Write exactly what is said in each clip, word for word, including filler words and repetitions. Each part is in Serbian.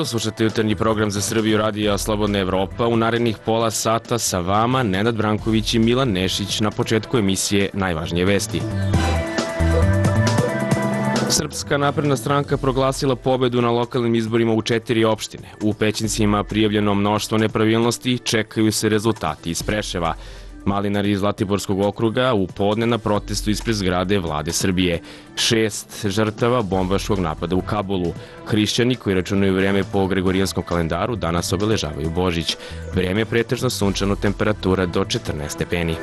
slušate jutarnji program za Srbiju radija Slobodna Evropa. U narednih pola sata sa vama Nenad Branković i Milan Nešić. Na početku emisije najvažnije vesti. Srpska napredna stranka proglasila pobedu na lokalnim izborima u četiri opštine. U Pećincima prijavljeno mnoštvo nepravilnosti, čekaju se rezultati iz Preševa. Malinari iz Zlatiborskog okruga u podne na protestu ispred zgrade Vlade Srbije. Šest žrtava bombaškog napada u Kabulu. Hrišćani koji računaju vreme po gregorijanskom kalendaru danas obeležavaju Božić. Vreme je pretežno sunčano, temperatura do četrnaest stepeni.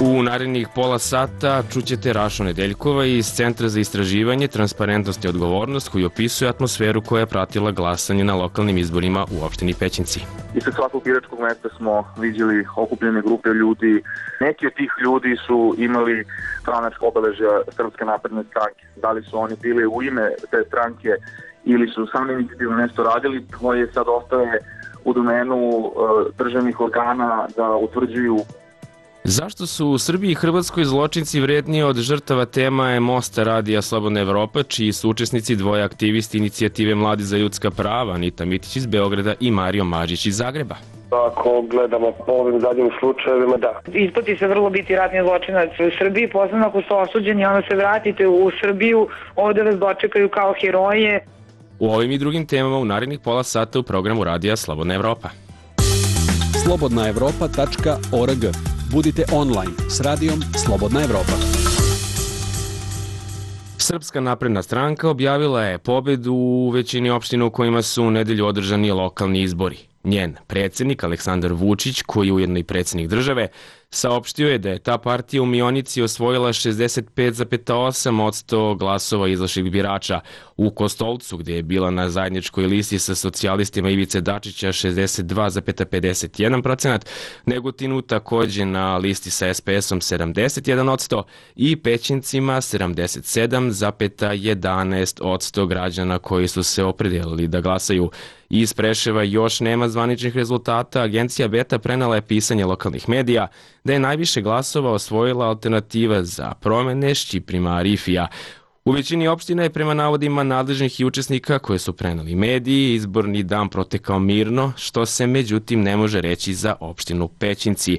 U narednih pola sata čućete Rašu Nedeljkova iz Centra za istraživanje, transparentnost i odgovornost koji opisuje atmosferu koja je pratila glasanje na lokalnim izborima u opštini Pećinci. Ispred svakog biračkog mesta smo vidjeli okupljene grupe ljudi. Neki od tih ljudi su imali stranačko obeležja Srpske napredne stranke. Da li su oni bili u ime te stranke ili su sami inicijativno nešto radili, to je sad ostaje u domenu uh, državnih organa da utvrđuju. Zašto su u Srbiji i Hrvatskoj zločinci vredniji od žrtava, tema je Mosta radija Slobodna Evropa, čiji su učesnici dvoje aktivisti inicijative Mladi za ljudska prava, Anita Mitić iz Beograda i Mario Mažić iz Zagreba. Ako gledamo po ovim zadnjim slučajevima, da. Isplati se vrlo biti ratni zločinac u Srbiji, posebno ako ste osuđeni, onda se vratite u Srbiju, ovde vas dočekaju kao heroje. U ovim i drugim temama u narednih pola sata u programu radija Slobodna Evropa. slobodna evropa tačka org. Budite online s radijom Slobodna Evropa. Srpska napredna stranka objavila je pobedu u većini opština u kojima su u nedelju održani lokalni izbori. Njen predsjednik Aleksandar Vučić, koji je ujedno i predsjednik države, saopštio je da je ta partija u Mionici osvojila šezdeset pet zarez osam posto glasova izašlih birača. U Kostolcu, gdje je bila na zajedničkoj listi sa socijalistima Ivice Dačića šezdeset dva zarez pedeset jedan procenat, Negotinu također na listi sa es pe esom sedamdeset jedan posto i Pećincima sedamdeset sedam zarez jedanaest posto građana koji su se opredelili da glasaju. Iz Preševa još nema zvaničnih rezultata. Agencija Beta prenela je pisanje lokalnih medija da je najviše glasova osvojila Alternativa za promene Šćiprima Arifija. U većini opština je prema navodima nadležnih i učesnika koje su preneli mediji izborni dan protekao mirno, što se međutim ne može reći za opštinu Pećinci.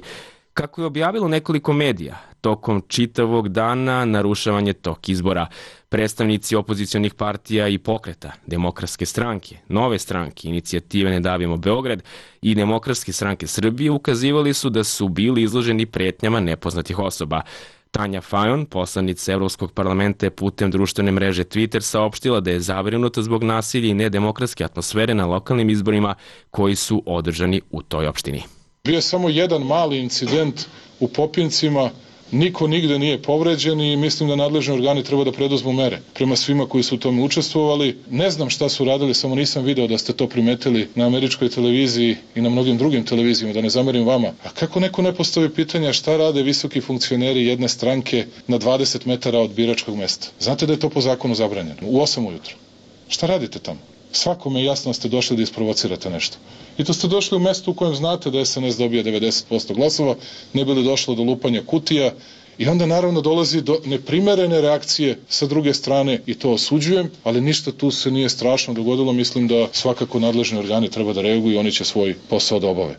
Kako je objavilo nekoliko medija, tokom čitavog dana narušavan je tok izbora. Predstavnici opozicionih partija i pokreta, Demokratske stranke, Nove stranke, Inicijative Ne davimo Beograd i Demokratske stranke Srbije ukazivali su da su bili izloženi pretnjama nepoznatih osoba. Tanja Fajon, poslanica Evropskog parlamenta, je putem društvene mreže Twitter saopštila da je zabrinuta zbog nasilja i nedemokratske atmosfere na lokalnim izborima koji su održani u toj opštini. Bio je samo jedan mali incident u Popincima, niko nigde nije povređen i mislim da nadležni organi treba da preduzmu mere prema svima koji su u tome učestvovali. Ne znam šta su radili, samo nisam video da ste to primetili na američkoj televiziji i na mnogim drugim televizijama, da ne zamerim vama. A kako neko ne postavi pitanja šta rade visoki funkcioneri jedne stranke na dvadeset metara od biračkog mesta? Znate da je to po zakonu zabranjeno, u osam ujutru. Šta radite tamo? Svakome je jasno da ste došli da isprovocirate nešto. I to ste došli u mesto u kojem znate da es en es dobija devedeset posto glasova, ne bi li došlo do lupanja kutija i onda naravno dolazi do neprimerene reakcije sa druge strane i to osuđujem, ali ništa tu se nije strašno dogodilo, mislim da svakako nadležni organi treba da reaguju i oni će svoj posao da obave.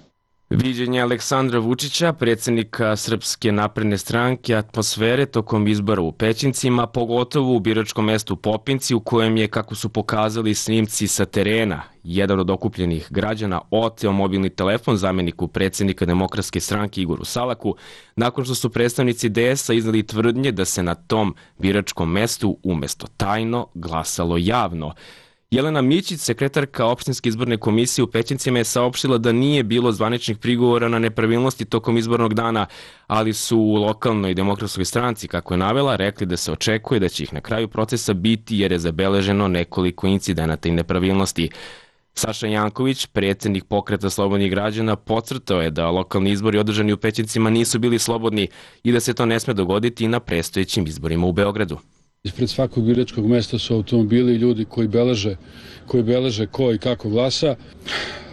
Viđenje Aleksandra Vučića, predsjednika Srpske napredne stranke, atmosfere tokom izbora u Pećincima, pogotovo u biračkom mestu Popinci, u kojem je, kako su pokazali snimci sa terena, jedan od okupljenih građana oteo mobilni telefon zamjeniku predsjednika Demokratske stranke Igoru Salaku, nakon što su predstavnici de esa iznali tvrdnje da se na tom biračkom mestu umjesto tajno glasalo javno. Jelena Mićić, sekretarka opštinske izborne komisije u Pećincima, je saopštila da nije bilo zvaničnih prigovora na nepravilnosti tokom izbornog dana, ali su u lokalnoj Demokratskoj stranci, kako je navela, rekli da se očekuje da će ih na kraju procesa biti jer je zabeleženo nekoliko incidenata i nepravilnosti. Saša Janković, predsjednik Pokreta slobodnih građana, podcrtao je da lokalni izbori održani u Pećincima nisu bili slobodni i da se to ne sme dogoditi i na predstojećim izborima u Beogradu. Ispred svakog biračkog mesta su automobili i ljudi koji beleže, koji beleže ko i kako glasa.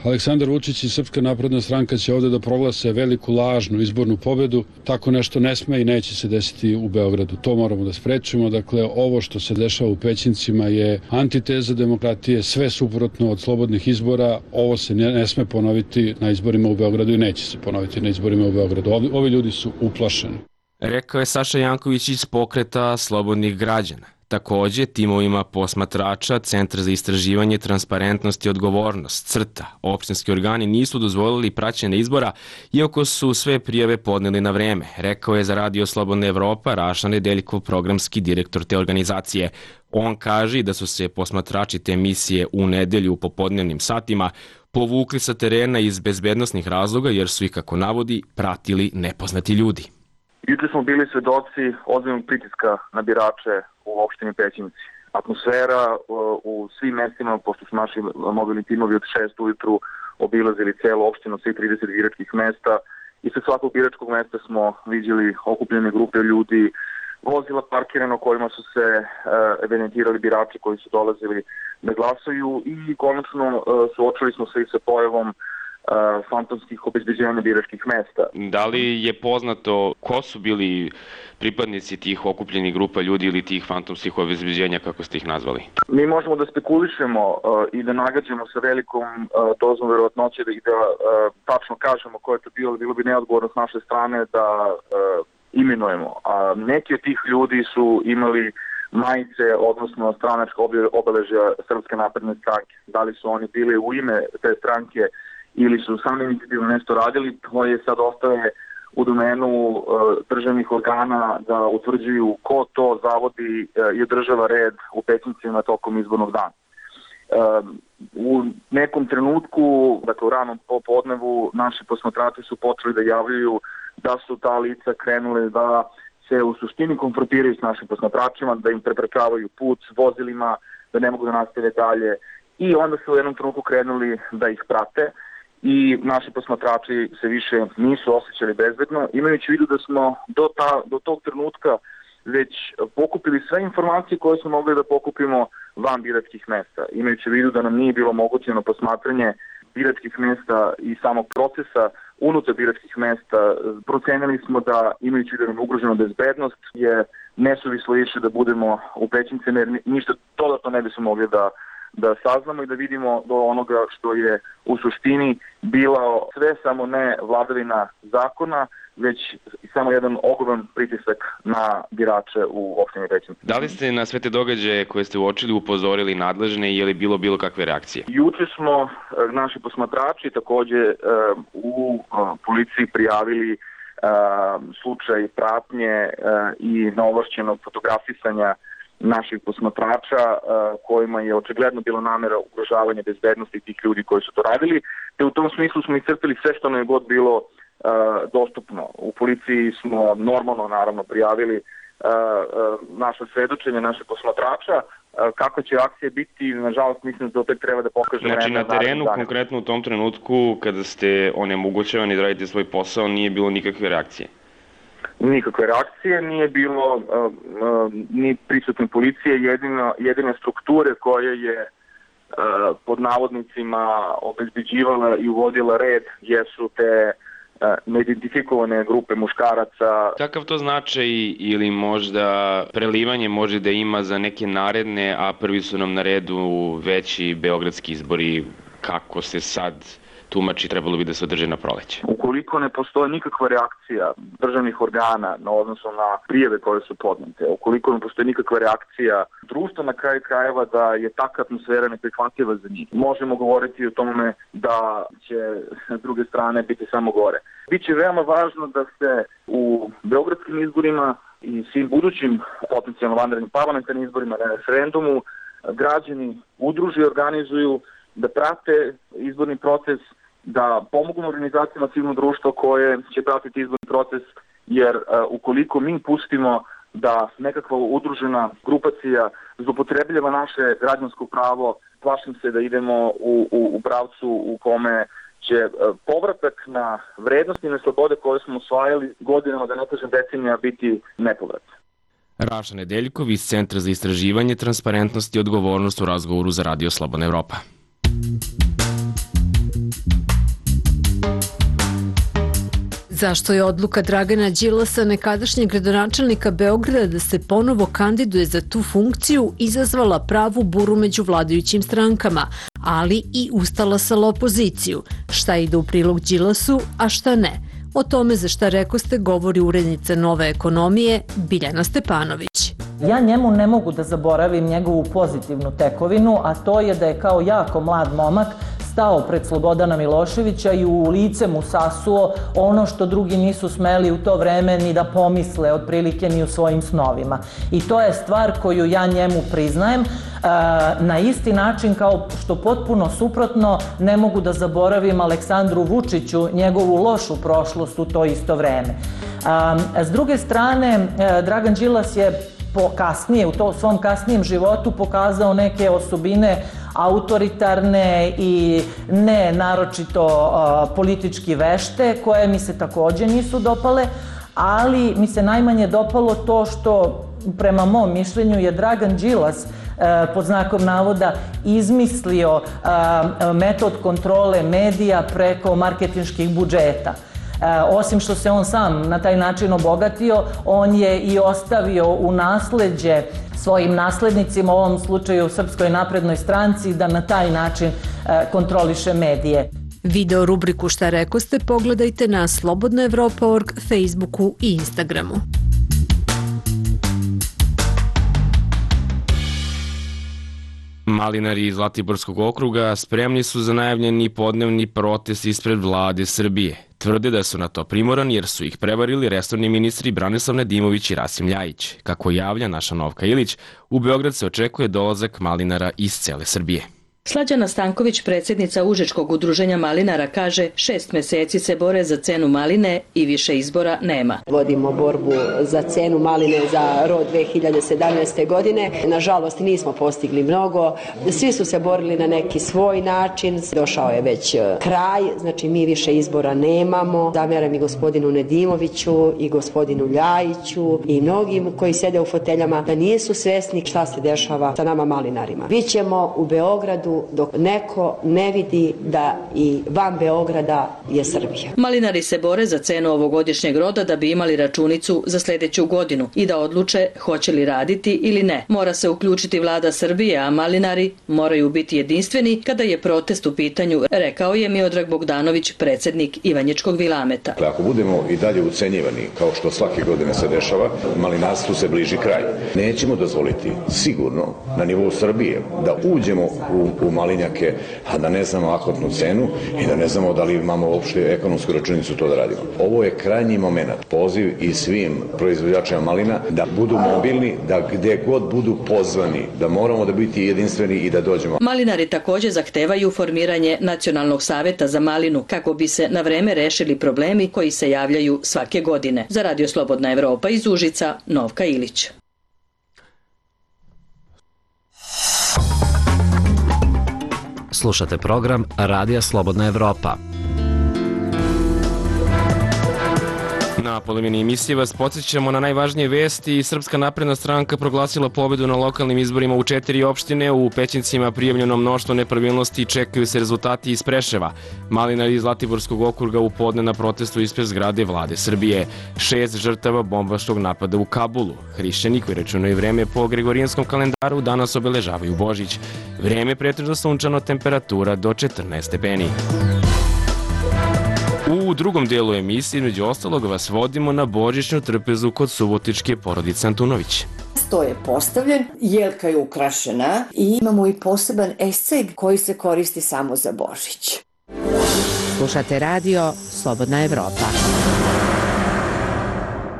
Aleksandar Vučić i Srpska napredna stranka će ovde da proglase veliku lažnu izbornu pobedu. Tako nešto ne sme i neće se desiti u Beogradu. To moramo da sprečimo. Dakle, ovo što se dešava u Pećincima je antiteza demokratije, sve suprotno od slobodnih izbora. Ovo se ne, ne sme ponoviti na izborima u Beogradu i neće se ponoviti na izborima u Beogradu. Ovi, ovi ljudi su uplašeni. Rekao je Saša Janković iz Pokreta slobodnih građana. Takođe, timovima posmatrača Centar za istraživanje transparentnosti i odgovornost, CRTA, opštinski organi nisu dozvolili praćenje izbora, iako su sve prijave podneli na vreme, rekao je za Radio Slobodna Evropa Raša Nedeljkov, programski direktor te organizacije. On kaže da su se posmatrači te emisije u nedelju u popodnevnim satima povukli sa terena iz bezbednosnih razloga jer su ih, kako navodi, pratili nepoznati ljudi. Juče smo bili svedoci ozbiljnog pritiska na birače u opštini Pećinci. Atmosfera u svim mestima, pošto su naši mobilni timovi od šest ujutru obilazili celu opštinu, svih trideset biračkih mesta, i sa svakog biračkog mesta smo viđali okupljene grupe ljudi, vozila parkirano kojima su se evidentirali birači koji su dolazili da glasaju i konačno suočili smo se i sa pojavom fantomskih obezbeđenja biračkih mesta. Da li je poznato ko su bili pripadnici tih okupljenih grupa ljudi ili tih fantomskih obezbeđenja, kako ste ih nazvali? Mi možemo da spekulišemo uh, i da nagađamo sa velikom uh, dozom verovatnoće da, i da uh, tačno kažemo ko je to bilo, bilo bi neodgovorno s naše strane da uh, imenujemo. A neki od tih ljudi su imali majice, odnosno stranačka obeležja Srpske napredne stranke. Da li su oni bili u ime te stranke ili su sami inicijativno nešto radili, to je sad ostaje u domenu uh, državnih organa da utvrđuju ko to zavodi uh, i održava red u Pećincima tokom izbornog dana. Uh, u nekom trenutku, dakle u ranom popodnevu, naši posmatrači su počeli da javljaju da su ta lica krenule da se u suštini konfrontiraju s našim posmatračima, da im preprečavaju put s vozilima, da ne mogu da nastave dalje, i onda su u jednom trenutku krenuli da ih prate i naši posmatrači se više nisu osjećali bezbedno, imajući u vidu da smo do, ta, do tog trenutka već pokupili sve informacije koje smo mogli da pokupimo van biračkih mesta. Imajući u vidu da nam nije bilo omogućeno posmatranje biračkih mesta i samog procesa unutar biračkih mesta, procenili smo da, imajući da nam je ugrožena bezbednost, je nesuvislo više da budemo u Pećincima, jer ništa dodatno ne bismo mogli da da saznamo i da vidimo do onoga što je u suštini bilo sve samo ne vladavina zakona, već samo jedan ogroman pritisak na birače u opštini Pećinci. Da li ste na sve te događaje koje ste uočili upozorili nadležne i je li bilo bilo kakve reakcije? Juče smo naši posmatrači takođe u policiji prijavili slučaj pratnje i neovlašćenog fotografisanja naših posmatrača kojima je očigledno bila namera ugrožavanja bezbednosti tih ljudi koji su to radili, te u tom smislu smo iscrpili sve što nam je god bilo dostupno. U policiji smo normalno naravno prijavili naše svedočenje, naše posmatrača. Kako će akcija biti, nažalost mislim da to tek treba da pokaže vreme. Znači na terenu, konkretno u tom trenutku kada ste onemogućavani da radite svoj posao, nije bilo nikakve reakcije? Nikakve reakcije, nije bilo uh, uh, ni prisutne policije, jedino, jedine strukture koje je uh, pod navodnicima obezbeđivala i uvodila red jesu te uh, neidentifikovane grupe muškaraca. Kakav to značaj ili možda prelivanje može da ima za neke naredne, a prvi su nam na redu veći beogradski izbori, kako se sad tumači trebalo bi da se održe na proleće? Ukoliko ne postoji nikakva reakcija državnih organa na odnosu na prijave koje su podnete, ukoliko ne postoji nikakva reakcija društva na kraju krajeva da je takva atmosfera neprihvatljiva za njih, možemo govoriti o tome da će s druge strane biti samo gore. Biće veoma važno da se u beogradskim izborima i svim budućim potencijalno vanrednim parlamentarnim izborima na referendumu građani udruže i organizuju, da prate izborni proces, da pomognu organizacijama civilnog društva koje će pratiti izborni proces, jer uh, ukoliko mi pustimo da nekakva udružena grupacija zloupotrebljava naše građansko pravo, plašim se da idemo u, u, u pravcu u kome će uh, povratak na vrednosti i na slobode koje smo osvajali godinama, da ne kažem decenija, biti nepovratno. Raša Nedeljkov iz Centra za istraživanje, transparentnost i odgovornost u razgovoru za Radio Slobodna Evropa. Zašto je odluka Dragana Đilasa, nekadašnjeg gradonačelnika Beograda, da se ponovo kandiduje za tu funkciju izazvala pravu buru među vladajućim strankama, ali i ustalasala opoziciju? Šta ide u prilog Đilasu, a šta ne? O tome za šta rekoste govori urednica Nove ekonomije Biljana Stepanović. Ja njemu ne mogu da zaboravim njegovu pozitivnu tekovinu, a to je da je kao jako mlad momak stao pred Slobodana Miloševića i u lice mu sasuo ono što drugi nisu smeli u to vreme ni da pomisle, otprilike ni u svojim snovima. I to je stvar koju ja njemu priznajem, na isti način kao što potpuno suprotno ne mogu da zaboravim Aleksandru Vučiću njegovu lošu prošlost u to isto vreme. S druge strane, Dragan Đilas je po kasnije, u to svom kasnijem životu pokazao neke osobine autoritarne i ne naročito uh, politički vešte, koje mi se takođe nisu dopale, ali mi se najmanje dopalo to što prema mom mišljenju je Dragan Đilas uh, pod znakom navoda izmislio uh, metod kontrole medija preko marketinških budžeta. Osim što se on sam na taj način obogatio, on je i ostavio u nasleđe svojim naslednicima, u ovom slučaju Srpskoj naprednoj stranci, da na taj način kontroliše medije. Video rubriku Šta rekoste pogledajte na slobodna evropa tačka org, Facebooku i Instagramu. Malinari iz Zlatiborskog okruga spremni su za najavljeni podnevni protest ispred vlade Srbije. Tvrde da su na to primorani jer su ih prevarili resorni ministri Branislav Nedimović i Rasim Ljajić. Kako javlja naša Novka Ilić, u Beograd se očekuje dolazak malinara iz cele Srbije. Slađana Stanković, predsjednica Užičkog udruženja malinara, kaže šest meseci se bore za cenu maline i više izbora nema. Vodimo borbu za cenu maline za rod dve hiljade sedamnaeste. godine. Nažalost nismo postigli mnogo. Svi su se borili na neki svoj način. Došao je već kraj, znači mi više izbora nemamo. Zamjeram i gospodinu Nedimoviću i gospodinu Ljajiću i mnogim koji sede u foteljama da nisu svesni šta se dešava sa nama malinarima. Bićemo u Beogradu dok neko ne vidi da i van Beograda je Srbija. Malinari se bore za cenu ovogodišnjeg roda da bi imali računicu za sljedeću godinu i da odluče hoće li raditi ili ne. Mora se uključiti vlada Srbije, a malinari moraju biti jedinstveni kada je protest u pitanju, rekao je Miodrag Bogdanović, predsjednik Ivanjičkog Vilameta. Ako budemo i dalje ucenjivani, kao što svake godine se dešava, malinarstvu se bliži kraj. Nećemo dozvoliti sigurno na nivou Srbije da uđemo u u malinjake, a da ne znamo akutnu cenu i da ne znamo da li imamo uopšte ekonomsku računicu to da radimo. Ovo je krajnji moment. Poziv i svim proizvođačima malina da budu mobilni, da gde god budu pozvani, da moramo da biti jedinstveni i da dođemo. Malinari također zahtevaju formiranje Nacionalnog saveta za malinu kako bi se na vreme rešili problemi koji se javljaju svake godine. Za Radio Slobodna Evropa iz Užica, Novka Ilić. Slušate program Radija Slobodna Evropa. Na polovini emisije vas podsjećamo na najvažnije vesti. Srpska napredna stranka proglasila pobedu na lokalnim izborima u četiri opštine. U Pećincima prijavljeno mnoštvo nepravilnosti i čekaju se rezultati iz Preševa. Malinari iz Zlatiborskog okruga u podne na protestu ispred zgrade vlade Srbije. Šest žrtava bombaškog napada u Kabulu. Hrišćani koji računaju vreme po gregorijanskom kalendaru danas obeležavaju Božić. Vreme pretežno sunčano, temperatura do četrnaest stepeni. U drugom dijelu emisije, među ostalog, vas vodimo na božićnu trpezu kod subotičke porodice Antunović. Sto je postavljen, jelka je ukrašena i imamo i poseban esceg koji se koristi samo za Božić. Slušate radio Slobodna Evropa.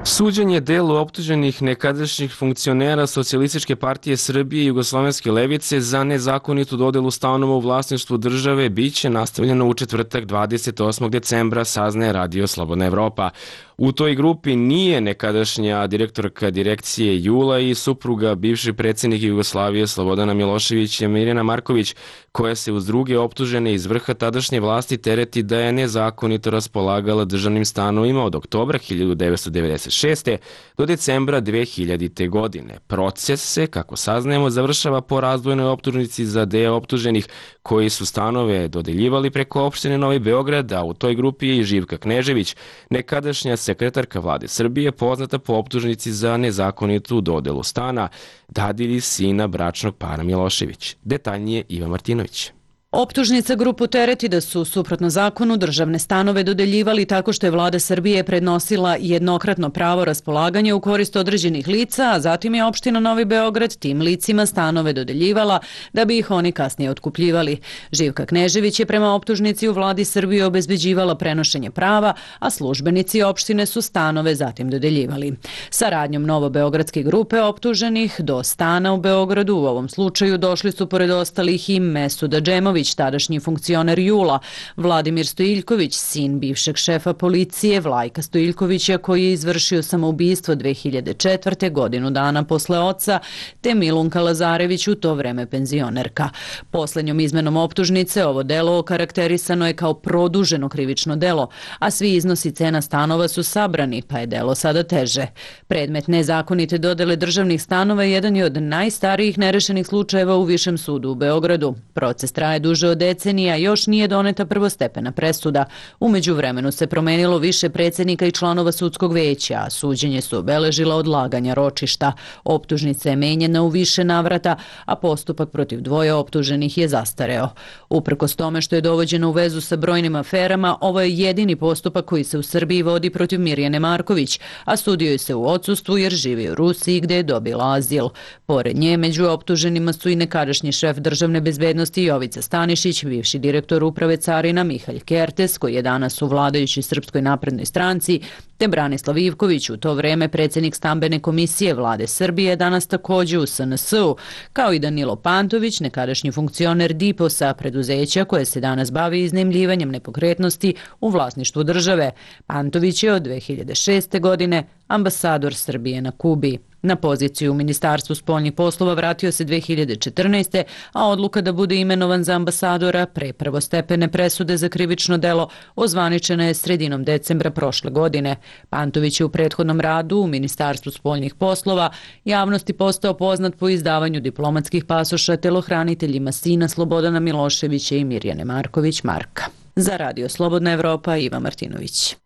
Suđenje delu optuženih nekadašnjih funkcionera Socijalističke partije Srbije i Jugoslovenske levice za nezakonitu dodelu stanova u vlasništvu države biće nastavljeno u četvrtak dvadeset osmog decembra, saznaje Radio Slobodna Evropa. U toj grupi nije nekadašnja direktorka direkcije Jula i supruga bivšeg predsjednika Jugoslavije Slobodana Miloševića Mirjana Marković, koja se uz druge optužene iz vrha tadašnje vlasti tereti da je nezakonito raspolagala državnim stanovima od oktobra hiljadu devetsto devedeset devedeset šeste. do decembra dve hiljadite. godine. Proces se, kako saznajemo, završava po razdvojenoj optužnici za deo optuženih koji su stanove dodeljivali preko opštine Novi Beograd, a u toj grupi je i Živka Knežević, nekadašnja sekretarka vlade Srbije, poznata po optužnici za nezakonitu dodelu stana dadilji sina bračnog para Milošević. Detaljnije Iva Martinović. Optužnica grupu tereti da su, suprotno zakonu, državne stanove dodeljivali tako što je vlada Srbije prednosila jednokratno pravo raspolaganja u korist određenih lica, a zatim je opština Novi Beograd tim licima stanove dodeljivala da bi ih oni kasnije otkupljivali. Živka Knežević je prema optužnici u vladi Srbije obezbeđivala prenošenje prava, a službenici opštine su stanove zatim dodeljivali. Saradnjom novobeogradske grupe optuženih do stana u Beogradu u ovom slučaju došli su pored ostalih i Mesuda Džemović, tadašnji funkcioner Jula, Vladimir Stojiljković, sin bivšeg šefa policije Vlajka Stojiljkovića koji je izvršio samoubistvo dve hiljade četvrte. godinu dana posle oca, te Milunka Lazarević, u to vreme penzionerka. Poslednjom izmenom optužnice ovo delo okarakterisano je kao produženo krivično delo, a svi iznosi cena stanova su sabrani, pa je delo sada teže. Predmet nezakonite dodele državnih stanova jedan je od najstarijih nerešenih slučajeva u Višem sudu u Beogradu. Proces traje duže od decenija, još nije doneta prvostepena presuda. U međuvremenu se promenilo više predsednika i članova sudskog veća, a suđenje su obeležila odlaganja ročišta. Optužnica je menjena u više navrata, a postupak protiv dvoje optuženih je zastareo. Uprkos tome što je dovođeno u vezu sa brojnim aferama, ovo je jedini postupak koji se u Srbiji vodi protiv Mirjane Marković, a sudio je se u odsustvu jer živi u Rusiji gde je dobila azil. Pored nje, među optuženima su i nekadašnji šef državne bezbednosti Jovica Stanišić, bivši direktor uprave carina Mihalj Kertes, koji je danas u vladajućoj Srpskoj naprednoj stranci, te Branislav Ivković, u to vreme predsjednik stambene komisije vlade Srbije, danas takođe u S N S-u, kao i Danilo Pantović, nekadašnji funkcioner Diposa, preduzeća koje se danas bavi iznajmljivanjem nepokretnosti u vlasništvu države. Pantović je od dve hiljade šeste. godine ambasador Srbije na Kubi. Na poziciju u Ministarstvu spoljnih poslova vratio se dve hiljade četrnaeste. a odluka da bude imenovan za ambasadora pre prvostepene presude za krivično delo ozvaničena je sredinom decembra prošle godine. Pantović je u prethodnom radu u Ministarstvu spoljnih poslova javnosti postao poznat po izdavanju diplomatskih pasoša telohraniteljima sina Slobodana Miloševića i Mirjane Marković Marka. Za Radio Slobodna Evropa, Iva Martinović.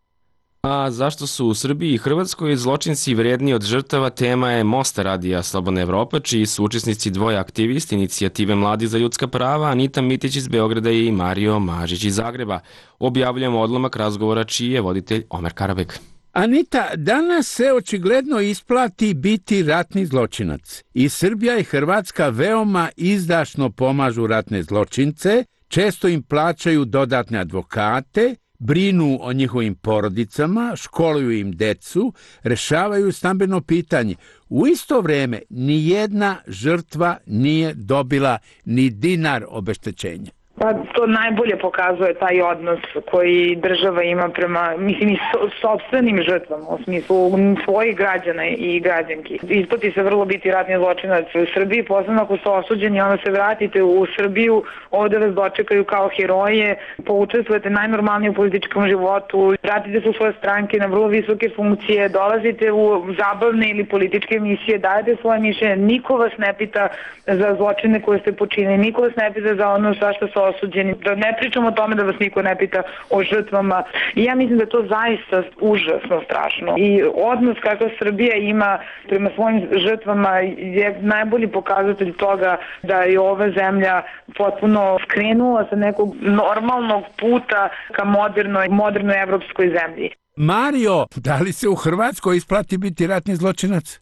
A zašto su u Srbiji i Hrvatskoj zločinci vredni od žrtava, tema je Mosta Radija Slobodna Evropa, čiji su učesnici dvoje aktivisti inicijative Mladi za ljudska prava, Anita Mitić iz Beograda i Mario Mažić iz Zagreba. Objavljujemo odlomak razgovora čiji je voditelj Omer Karabeg. Anita, danas se očigledno isplati biti ratni zločinac. I Srbija i Hrvatska veoma izdašno pomažu ratne zločince, često im plaćaju dodatne advokate, brinu o njihovim porodicama, školuju im decu, rešavaju stambeno pitanje. U isto vreme ni jedna žrtva nije dobila ni dinar obeštećenja. Pa to najbolje pokazuje taj odnos koji država ima prema, mislim, i so, sobstvenim žrtvama, u smislu svojih građana i građanki. Isplati se vrlo biti ratni zločinac u Srbiji, posebno ako ste osuđeni, onda se vratite u Srbiju, ovde vas dočekaju kao heroje, poučestvujete najnormalnije u političkom životu, vratite se u svoje stranke na vrlo visoke funkcije, dolazite u zabavne ili političke emisije, dajete svoje mišljenje, niko vas ne pita za zločine koje ste počinili, niko vas ne pita za ono sa što su osuđeni, da ne pričamo o tome da vas niko ne pita o žrtvama. I ja mislim da je to zaista užasno strašno. I odnos kakav Srbija ima prema svojim žrtvama je najbolji pokazatelj toga da je ova zemlja potpuno skrenula sa nekog normalnog puta ka modernoj, modernoj evropskoj zemlji. Mario, da li se u Hrvatskoj isplati biti ratni zločinac?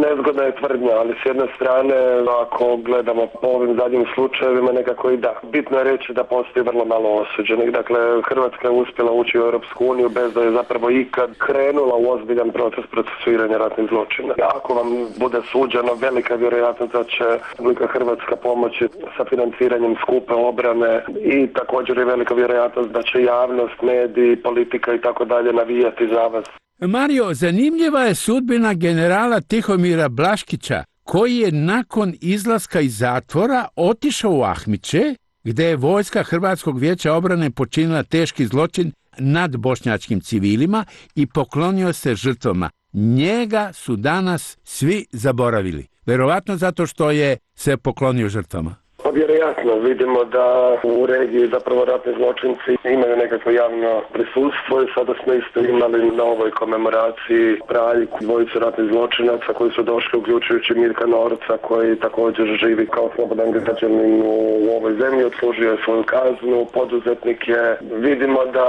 Nezgodna je tvrdnja, ali s jedne strane, ako gledamo po ovim zadnjim slučajevima, nekako i da. Bitno je reći da postoji vrlo malo osuđenih. Dakle, Hrvatska je uspjela ući u Europsku uniju bez da je zapravo ikad krenula u ozbiljan proces procesuiranja ratnih zločina. Ako vam bude suđeno, velika vjerojatnost da će Republika Hrvatska pomoći sa financiranjem skupe obrane i također je velika vjerojatnost da će javnost, mediji, politika i tako dalje navijati za vas. Mario, zanimljiva je sudbina generala Tihomira Blaškića, koji je nakon izlaska iz zatvora otišao u Ahmiće, gde je vojska Hrvatskog vijeća obrane počinila teški zločin nad bošnjačkim civilima i poklonio se žrtvama. njega su danas svi zaboravili. Verovatno zato što je se poklonio žrtvama. Pa vjerojatno vidimo da u regiji zapravo ratni zločinci imaju nekakvo javno prisustvo i sada smo isto imali na ovoj komemoraciji praljku dvojicu ratnih zločinaca koji su došli, uključujući Mirka Norca koji također živi kao slobodan građanin u ovoj zemlji, odslužio je svoju kaznu, poduzetnik je. Vidimo da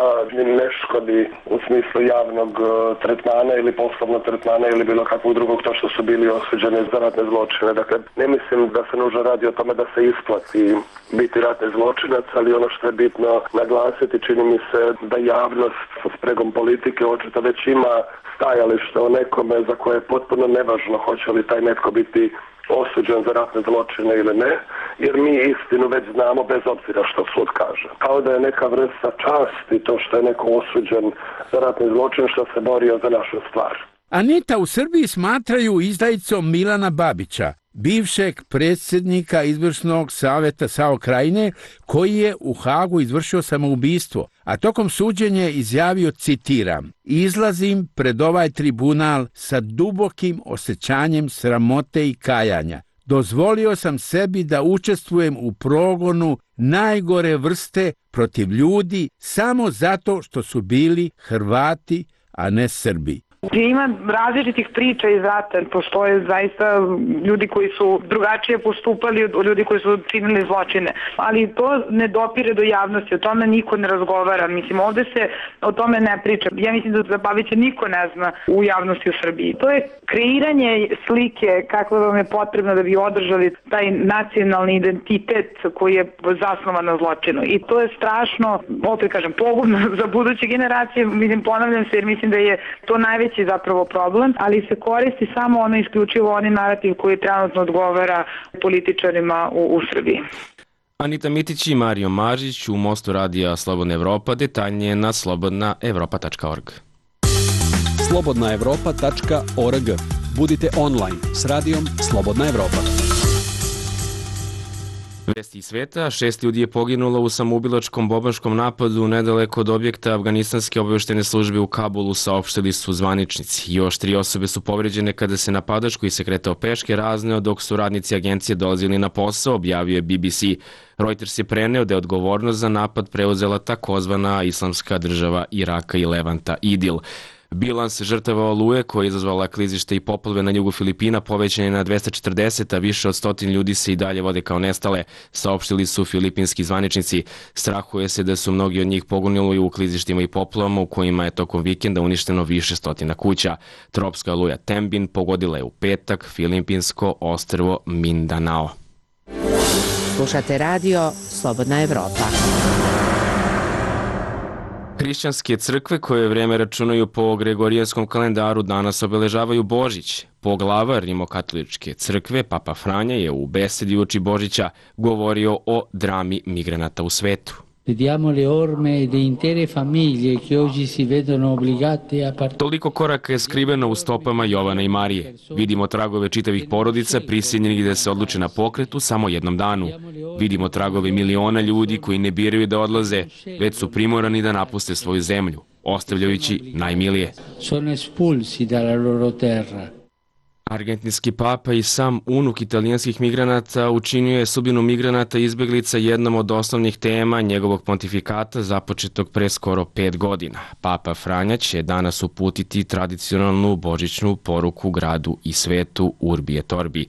ne škodi u smislu javnog tretmana ili poslovnog tretmana ili bilo kakvog drugog to što su bili osuđeni za ratne zločine. Dakle, ne mislim da se nužno radi o tome da se isplati biti ratni zločinac, ali ono što je bitno naglasiti, čini mi se da javnost sa spregom politike očito već ima stajalište o nekome za koje je potpuno nevažno hoće li taj netko biti osuđen za ratne zločine ili ne, jer mi istinu već znamo bez obzira što sud kaže. Kao da je neka vrsta časti to što je neko osuđen za ratni zločin što se borio za našu stvar. Anita, u Srbiji smatraju izdajicom Milana Babića, bivšeg predsjednika izvršnog savjeta SAO Krajine, koji je u Hagu izvršio samoubistvo, a tokom suđenja izjavio, citiram, izlazim pred ovaj tribunal sa dubokim osjećanjem sramote i kajanja. Dozvolio sam sebi da učestvujem u progonu najgore vrste protiv ljudi samo zato što su bili Hrvati, a ne Srbi. Ima različitih priča iz rata, postoje zaista ljudi koji su drugačije postupali od ljudi koji su činili zločine, ali to ne dopire do javnosti, o tome niko ne razgovara, mislim ovde se o tome ne priča, ja mislim da za Babića niko ne zna u javnosti u Srbiji. To je kreiranje slike kakva vam je potrebno da bi održali taj nacionalni identitet koji je zasnovan na zločinu i to je strašno, opet kažem, pogubno za buduće generacije, mislim ponavljam se jer mislim da je to najveći zapravo problem, ali se koristi samo ono isključivo oni narativ koji trenutno odgovara političarima u, u Srbiji. Anita Mitić i Mario Mažić u Mostu radija Slobodna Evropa, detaljnije na slobodna evropa tačka org. slobodna evropa tačka org. Budite online s radijom Slobodna Evropa. Vesti iz sveta, šest ljudi je poginulo u samoubilačkom bombaškom napadu nedaleko od objekta afganistanske obavještajne službe u Kabulu, saopštili su zvaničnici. Još tri osobe su povređene kada se napadač koji se kretao peške razneo dok su radnici agencije dolazili na posao, objavio je B B C. Reuters je preneo da je odgovornost za napad preuzela takozvana islamska država Iraka i Levanta Idil. Bilans žrtava oluje koja je izazvala klizište i poplave na jugu Filipina povećan je na dvesta četrdeset, a više od stotin ljudi se i dalje vode kao nestale, saopštili su filipinski zvaničnici. Strahuje se da su mnogi od njih poginuli u klizištima i poplavama u kojima je tokom vikenda uništeno više stotina kuća. Tropska oluja Tembin pogodila je u petak filipinsko ostrvo Mindanao. Slušate radio Slobodna Evropa. Hrišćanske crkve koje vreme računaju po Gregorijanskom kalendaru danas obeležavaju Božić. Poglavar Rimokatoličke crkve, Papa Franja, je u besedi uoči Božića govorio o drami migranata u svetu. Vediamo le orme di intere famiglie che oggi si vedono obbligate a partire. Toliko koraka je skriveno u stopama Jovana i Marije. Vidimo tragove čitavih porodica prisiljenih da se odluče na pokret u samo jednom danu. Vidimo tragove miliona ljudi koji ne biraju da odlaze, već su primorani da napuste svoju zemlju, ostavljajući najmilije. Sono espulsi dalla loro terra. Argentinski papa i sam unuk italijanskih migranata učinio je sudbinu migranata i izbeglica jednom od osnovnih tema njegovog pontifikata započetog pre skoro pet godina. Papa Franja će danas uputiti tradicionalnu božićnu poruku gradu i svetu Urbi et Orbi.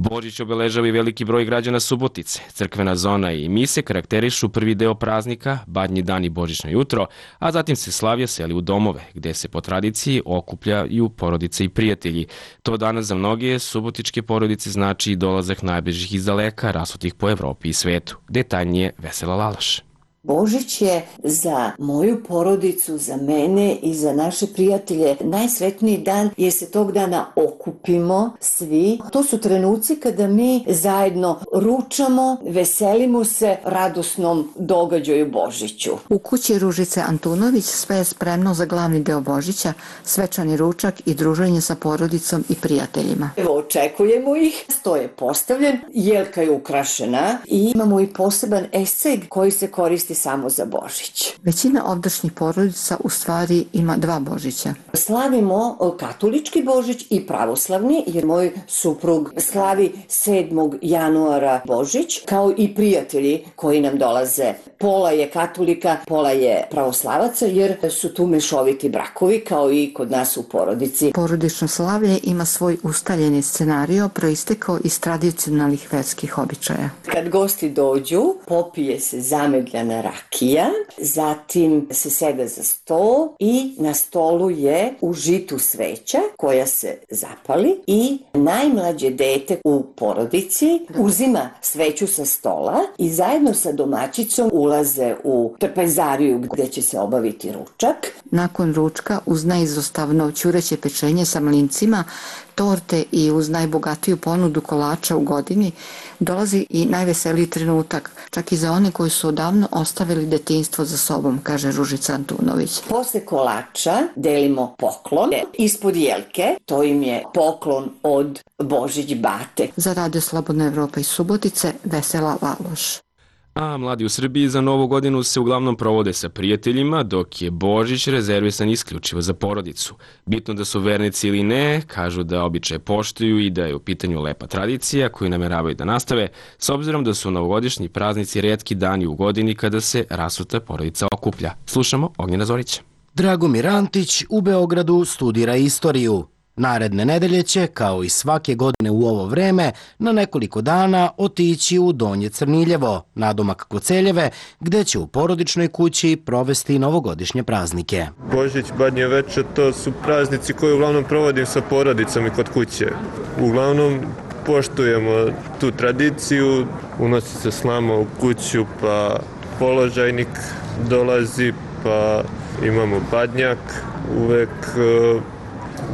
Božić obeležava i veliki broj građana Subotice. Crkvena zona i mise karakterišu prvi deo praznika, Badnji dan i Božićno jutro, a zatim se slavlja seli u domove, gde se po tradiciji okupljaju porodice i prijatelji. To danas za mnoge subotičke porodice znači i dolazak najbližih iz daleka, rasutih po Evropi i svetu. Detaljnije Vesela Lalaš. Božić je za moju porodicu, za mene i za naše prijatelje najsretniji dan jer se tog dana okupimo svi. To su trenuci kada mi zajedno ručamo, veselimo se radosnom događaju Božiću. U kući Ružice Antunović sve je spremno za glavni deo Božića, svečani ručak i druženje sa porodicom i prijateljima. Evo, očekujemo ih, sto je postavljen, jelka je ukrašena i imamo i poseban esceg koji se koristi samo za Božić. Većina ovdašnjih porodica u stvari ima dva Božića. Slavimo katolički Božić i pravoslavni, jer moj suprug slavi sedmog januara Božić, kao i prijatelji koji nam dolaze. Pola je katolika, pola je pravoslavaca, jer su tu mešoviti brakovi, kao i kod nas u porodici. Porodično slavlje ima svoj ustaljeni scenario proistekao iz tradicionalnih verskih običaja. Kad gosti dođu, popije se zamegljana rakija, zatim se seda za sto i na stolu je u žitu sveća koja se zapali i najmlađe dete u porodici uzima sveću sa stola i zajedno sa domaćicom ulaze u trpezariju gde će se obaviti ručak. Nakon ručka uz neizostavno ćureće pečenje sa mlincima, torte i uz najbogatiju ponudu kolača u godini dolazi i najveseliji trenutak, čak i za one koji su odavno ostavili detinjstvo za sobom, kaže Ružica Antunović. Posle kolača delimo poklon ispod jelke, to im je poklon od Božić bate. Za Radio Slobodna Evropa iz Subotice, Vesela Valoš. A mladi u Srbiji za Novu godinu se uglavnom provode sa prijateljima, dok je Božić rezervisan isključivo za porodicu. Bitno da su vernici ili ne, kažu da običaje poštuju i da je u pitanju lepa tradicija koju nameravaju da nastave, s obzirom da su novogodišnji praznici retki dani u godini kada se rasuta porodica okuplja. Slušamo Ognjena Zorića. Dragomir Antić u Beogradu studira istoriju. Naredne nedelje će, kao i svake godine u ovo vreme, na nekoliko dana otići u Donje Crniljevo, nadomak Koceljeve, gde će u porodičnoj kući provesti novogodišnje praznike. Božić, Badnje veče, to su praznici koje uglavnom provodim sa porodicom i kod kuće. Uglavnom poštujemo tu tradiciju, unosi se slama u kuću, pa položajnik dolazi, pa imamo badnjak, uvek...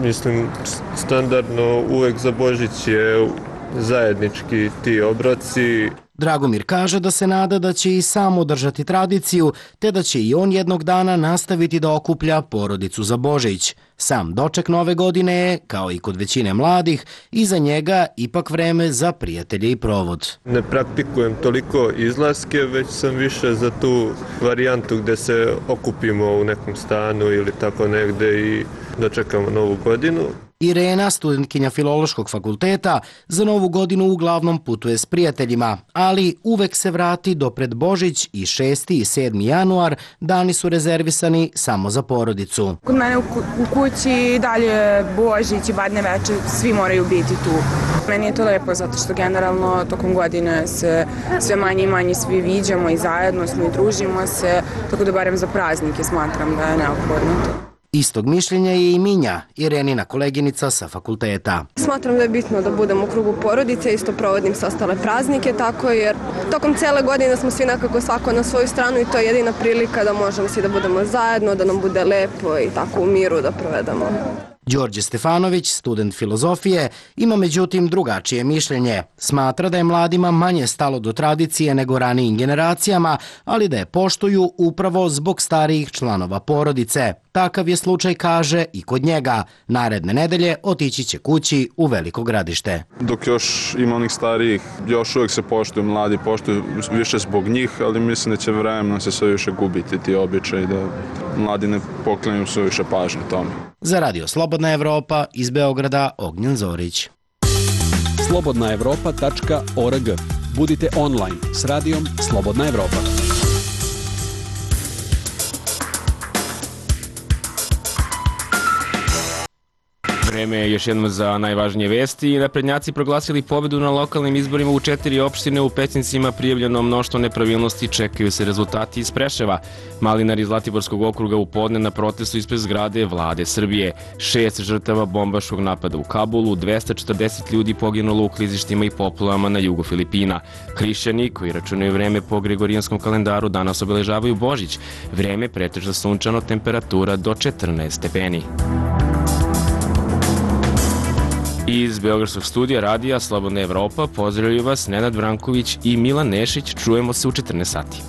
Mislim, standardno uvek za Božić je zajednički ti obroci. Dragomir kaže da se nada da će i sam održati tradiciju, te da će i on jednog dana nastaviti da okuplja porodicu za Božić. Sam doček nove godine je, kao i kod većine mladih, i za njega ipak vreme za prijatelje i provod. Ne praktikujem toliko izlaske, već sam više za tu varijantu gde se okupimo u nekom stanu ili tako negde i dočekamo novu godinu. Irena, studentkinja Filološkog fakulteta, za Novu godinu uglavnom putuje s prijateljima, ali uvek se vrati do pred Božić i šesti i sedmi januar, dani su rezervisani samo za porodicu. Kod mene u kući dalje Božić i Badnje veče, svi moraju biti tu. Meni je to lepo zato što generalno tokom godine se sve manje i manje svi viđamo i zajedno smo i družimo se, tako da barem za praznike smatram da je neophodno to. Istog mišljenja je i Minja, Irenina koleginica sa fakulteta. Smatram da je bitno da budem u krugu porodice, isto provodim sa ostale praznike, tako jer tokom cele godine smo svi nekako svako na svoju stranu i to je jedina prilika da možemo svi da budemo zajedno, da nam bude lepo i tako u miru da provedemo. Đorđe Stefanović, student filozofije, ima međutim drugačije mišljenje. Smatra da je mladima manje stalo do tradicije nego ranijim generacijama, ali da je poštuju upravo zbog starijih članova porodice. Takav je slučaj, kaže, i kod njega. Naredne nedelje otići će kući u Veliko Gradište. Dok još ima onih starijih, još uvijek se poštuju, mladi poštuju više zbog njih, ali mislim da će vremenom se sve više gubiti ti običaji, da mladi ne poklanjaju sve više pažnje tome. Za Radio Slobodna Evropa iz Beograda, Ognjen Zorić. slobodna evropa tačka org. Budite online s radijom Slobodna Evropa. Vreme je još jednom za najvažnije vesti. Naprednjaci proglasili pobedu na lokalnim izborima u četiri opštine. U Pećincima prijavljeno mnoštvo nepravilnosti, čekaju se rezultati iz Preševa. Malinari iz Zlatiborskog okruga u podne na protestu ispred zgrade Vlade Srbije. Šest žrtava bombaškog napada u Kabulu, dvesta četrdeset ljudi poginulo u klizištima i poplavama na jugu Filipina. Hrišćani, koji računaju vreme po gregorijanskom kalendaru, danas obeležavaju Božić. Vreme pretežno sunčano, temperatura do četrnaest stepeni. Iz Beogradskog studija radija Slobodna Evropa pozdravljaju vas Nenad Branković i Milan Nešić. Čujemo se u četrnaest sati.